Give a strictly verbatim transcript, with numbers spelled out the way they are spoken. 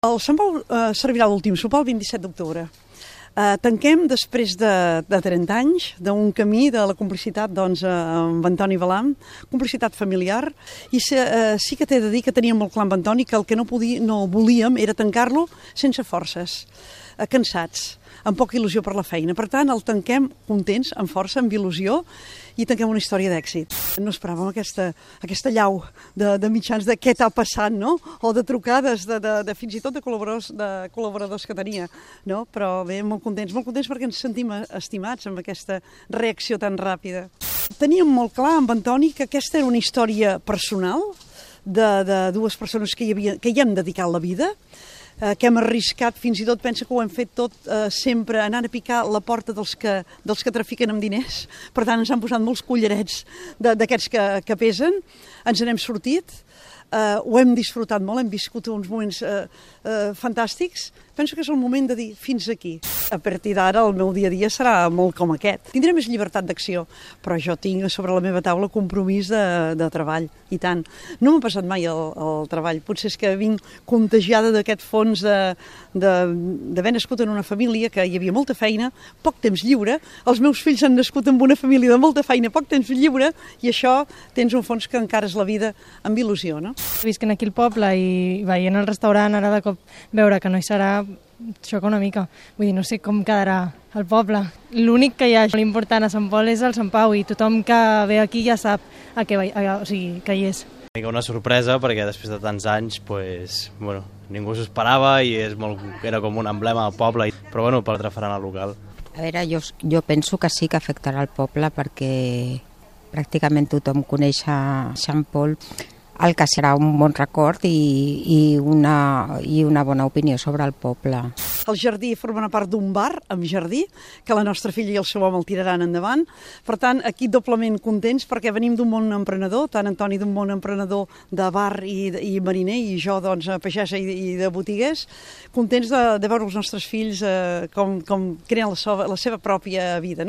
El Sant Pau eh, servirà l'últim sopar el vint-i-set d'octubre. Eh, tanquem després de, de trenta anys d'un camí de la complicitat doncs, eh, amb Antoni Balam, complicitat familiar, i se, eh, sí que t'he de dir que teníem molt clar amb Antoni que el que no, podia, no volíem era tancar-lo sense forces, eh, cansats, amb poca il·lusió per la feina. Per tant, el tanquem contents, amb força, amb il·lusió, i tanquem una història d'èxit. No esperàvem aquesta, aquesta llau de, de mitjans de què t'ha passat, no? O de trucades, de, de, de fins i tot de col·laboradors, de col·laboradors que tenia, no? Però bé, molt contents, molt contents perquè ens sentim estimats amb aquesta reacció tan ràpida. Teníem molt clar amb Antoni que aquesta era una història personal de, de dues persones que hi, havia, que hi hem dedicat la vida, que hem arriscat, fins i tot pensa que ho hem fet tot eh, sempre anant a picar la porta dels que, dels que trafiquen amb diners. Per tant, ens han posat molts collarets d'aquests que, que pesen, ens n'hem sortit, eh, ho hem disfrutat molt, hem viscut uns moments eh, eh, fantàstics. Penso que és el moment de dir fins aquí. A partir d'ara el meu dia a dia serà molt com aquest. Tindré més llibertat d'acció, però jo tinc sobre la meva taula compromís de, de treball, i tant. No m'ha passat mai el, el treball, potser és que vinc contagiada d'aquest fons d'haver nascut en una família que hi havia molta feina, poc temps lliure, els meus fills han nascut en una família de molta feina, poc temps lliure, i això tens un fons que encara és la vida amb il·lusió, no? Visquent aquí al poble i veient el restaurant, ara de cop veure que no hi serà, xoca una mica. Vull dir, no sé com quedarà el poble. L'únic que hi ha molt important a Sant Pol és el Sant Pau, i tothom que ve aquí ja sap a què, a, o sigui, que hi és. Una sorpresa perquè després de tants anys pues, bueno, ningú s'ho esperava i és molt, era com un emblema del poble, però bueno, per altre faran al local. A veure, jo, jo penso que sí que afectarà el poble perquè pràcticament tothom coneix a Sant Pol, el que serà un bon record i, i, una, i una bona opinió sobre el poble. El jardí formarà part d'un bar amb jardí, que la nostra filla i el seu home el tiraran endavant. Per tant, aquí doblement contents perquè venim d'un món emprenedor, tant Antoni d'un món emprenedor de bar i, i mariner, i jo doncs pagesa i, i de botiguers, contents de, de veure els nostres fills eh, com, com creen la, so, la seva pròpia vida, no?